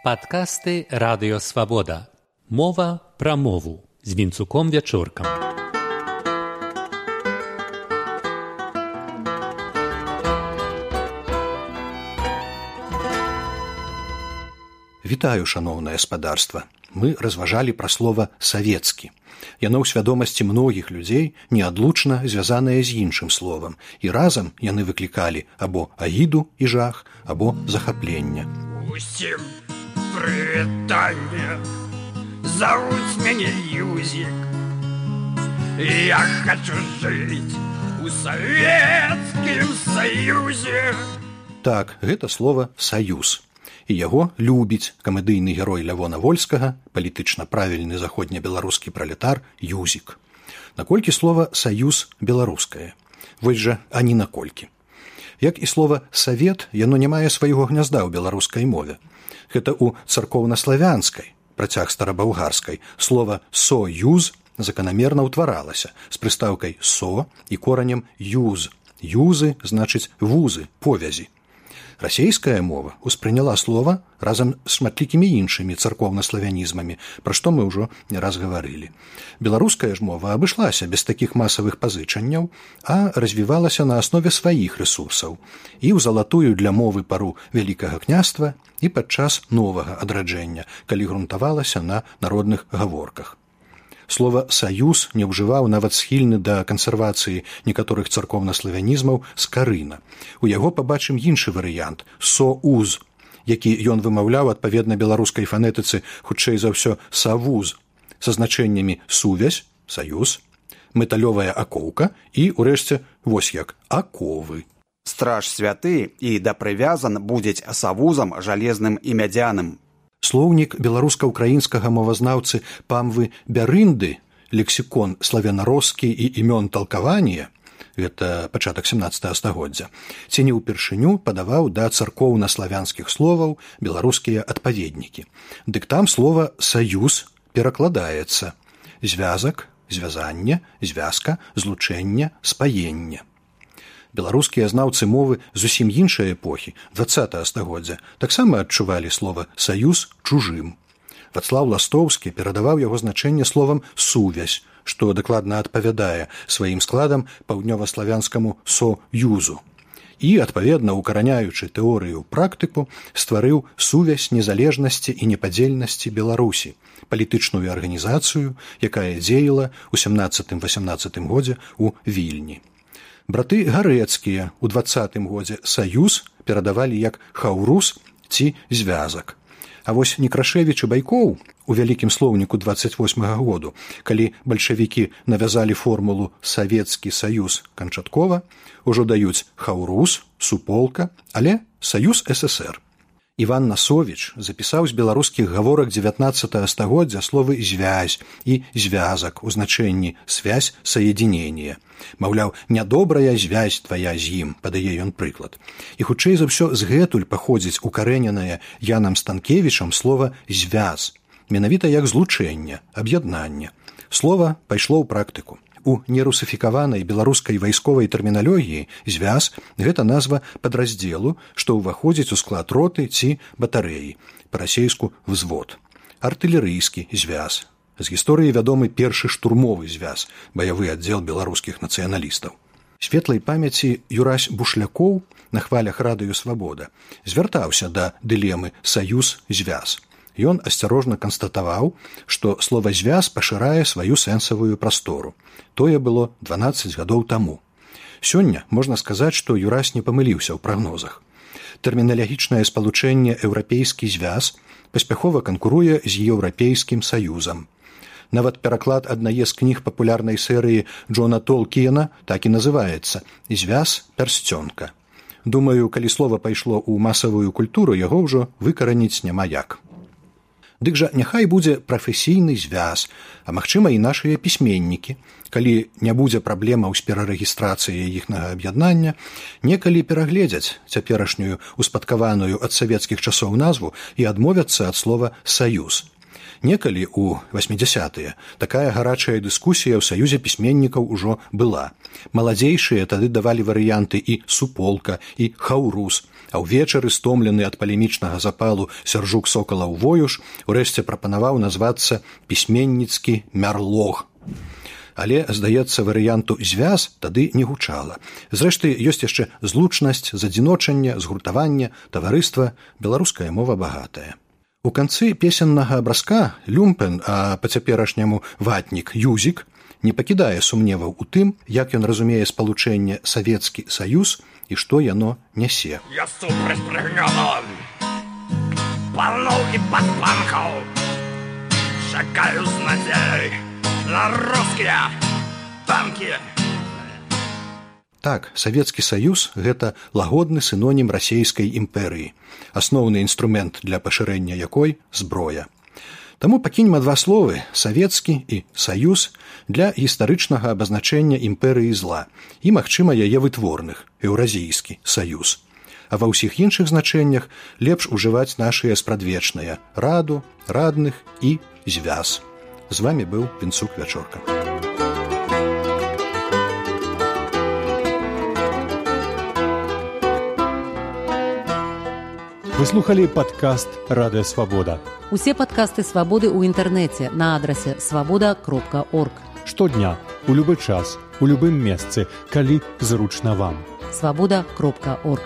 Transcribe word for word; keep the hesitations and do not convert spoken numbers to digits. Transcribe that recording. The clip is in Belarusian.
Падкасты Радыё Свабода. Мова пра мову з Вінцуком Вячоркам. Вітаю, шаноўнае спадарства. Мы разважалі пра слова «савецкі». Яно ў свядомасці многіх людзей неадлучна звязанае з іншым словам, і разам яны выклікалі або агіду і жах, або захапленне. Усім прывітанне, завуць мяне Юзік. Я хачу жыць у Савецкім Саюзе. Так, гэта слова «саюз». І яго любіць камедыйны герой Лявона Вольскага, палітычна правільны заходнебеларускі пралетар Юзік. Наколькі слова «саюз» беларускае? Вось жа ані наколькі. Як і слова «савет», яно не мае свайго гнязда ў беларускай мове. Гэта ў царкоўнаславянскай, працяг старабаўгарскай, слова «союз» заканамерна ўтваралася з прыстаўкай «со» і коранем «юз». «Юзы» значыць «вузы», «повязі». Расейская мова успрыняла слова разам з шматлікімі іншымі царкоўнаславянізмамі, пра што мы ўжо не раз гаварылі. Беларуская ж мова абышлася без такіх масавых пазычанняў, а развівалася на аснове сваіх рэсурсаў і ў залатую для мовы пару Вялікага княства і падчас новага адраджэння, калі грунтавалася на народных гаворках. Слова «саюз» не ўжываў нават схільны да кансервацыі некаторых царкоўнаславянізмаў Скарына. У яго пабачым іншы варыянт – «соуз», які ён вымаўляў адпаведна беларускай фанетыцы хутчэй за ўсё «савуз» са значэннямі «сувязь», «саюз», «металёвая акоўка» і, урэшце, вось як «аковы». Страж святы і да прывязан будзець савузам жалезным і мядзяным. Слоўнік беларуска-украінскага мовазнаўцы Памвы Бярынды, лексікон славянароскі і імён талкавання, гэта пачатак сямнаццатага стагоддзя, ці не ўпершыню падаваў да царкоўна-славянскіх словаў беларускія адпаведнікі. Дык там слова «саюз» перакладаецца звязак, звязанне, звязка, злучэнне, спаенне. Беларускія знаўцы мовы зусім іншай эпохі, дваццатага стагоддзя, таксама адчувалі слова «саюз» чужым. Вацлаў Ластоўскі перадаваў яго значэнне словам «сувязь», што дакладна адпавядае сваім складам паўднёваславянскаму «союзу». І, адпаведна, укараняючы тэорыю практыку, стварыў сувязь незалежнасці і непадзельнасці Беларусі, палітычную арганізацыю, якая дзеяла ў сямнаццатым-васямнаццатым годзе ў Вільні. Браты Гарэцкія ў дваццатым годзе «саюз» перадавалі як «хаўрус» ці «звязак». А вось Некрашевіч і Байкоў у вялікім слоўніку дваццаць восьмага году, калі бальшавікі навязалі формулу «савецкі саюз» канчаткова, ужо даюць «хаўрус», «суполка», але «саюз ССР». Іван Насовіч запісаў з беларускіх гаворак дзевятнаццатага стагоддзя словы «звязь» і «звязак» у значэнні «связь соединения». Маўляў, нядобрая звязь твая з ім, падае ён прыклад. І хутчэй за ўсё згэтуль паходзіць укарэненае Янам Станкевічам слова «звяз», менавіта як злучэнне, аб'яднанне. Слова пайшло ў практыку. У нерусыфікаванай беларускай вайсковай тэрміналогіі «звяз» – гэта назва падраздзелу, што ўваходзіць у склад роты ці батарэі, па-расейску «взвод». Артылерыйскі «звяз». З гісторыі вядомы першы штурмовы звяз, баявы аддзел беларускіх нацыяналістаў. Светлай памяці Юрась Бушлякоў на хвалях Радыё Свабода звяртаўся да дылемы «саюз-звяз». Ён асцярожна канстатаваў, што слова «звяз» пашырае сваю сэнсавую прастору. Тое было дванаццаць гадоў таму. Сёння можна сказаць, што Юрась не памыліўся ў прагнозах. Тэрміналагічнае спалучэнне «еўрапейскі звяз» паспяхова канкуруе з «еўрапейскім саюзам». Нават пераклад аднае з кніг папулярнай серыі Джона Толкіена так і называецца «Звяз пярсцёнка». Думаю, калі слова пайшло ў масавую культуру, яго ўжо выкараніць няма як. Дык жа няхай будзе прафесійны звяз, а магчыма і нашыя пісьменнікі, калі не будзе праблемаў з перарэгістрацыяй іхнага аб'яднання, некалі перагледзяць цяперашнюю успадкаваную ад савецкіх часоў назву і адмовяцца ад слова «саюз». Некалі ў васьмідзясятыя такая гарачая дыскусія ў саюзе пісьменнікаў ужо была. Маладзейшыя тады давалі варыянты і суполка, і хаўрус, а ўвечары, стомлены ад палемічнага запалу Сяржук Сокалаў Воюш, урэшце прапанаваў назвацца пісьменніцкі мярлог. Але, здаецца, варыянту звяз тады не гучала. Зрэшты, ёсць яшчэ злучнасць, задзіночанне, згуртаванне, таварыства, беларуская мова багатая. У канцы песеннага абразка люмпен, а па-цяперашняму ватнік юзік, не пакідае сумневаў у тым, як ён разумее спалучэнне Савецкі Саюз і што яно нясе. Я супраць прыгнёнаў, паноў і падпанкаў, чакаю з надзей на рускія танкі. Так, Савецкі Саюз – гэта лагодны сінонім расейскай імперыі, асноўны інструмент для пашырэння якой – зброя. Таму пакінем два словы «савецкі» і «саюз» для гістарычнага абазначэння імперыі зла і, магчыма, яе вытворных – еўразійскі саюз. А ва ўсіх іншых значэннях лепш ужываць нашыя спрадвечныя – раду, радных і звяз. З вамі быў Вінцук Вячорка. Вы слухали падкаст «Радыё Свабода». Усе падкасты «Свабоды» ў інтэрнэце на адрасе свабода кропка орг. Штодня, у любы час, у любым месцы, калі зручна вам. свабода кропка орг.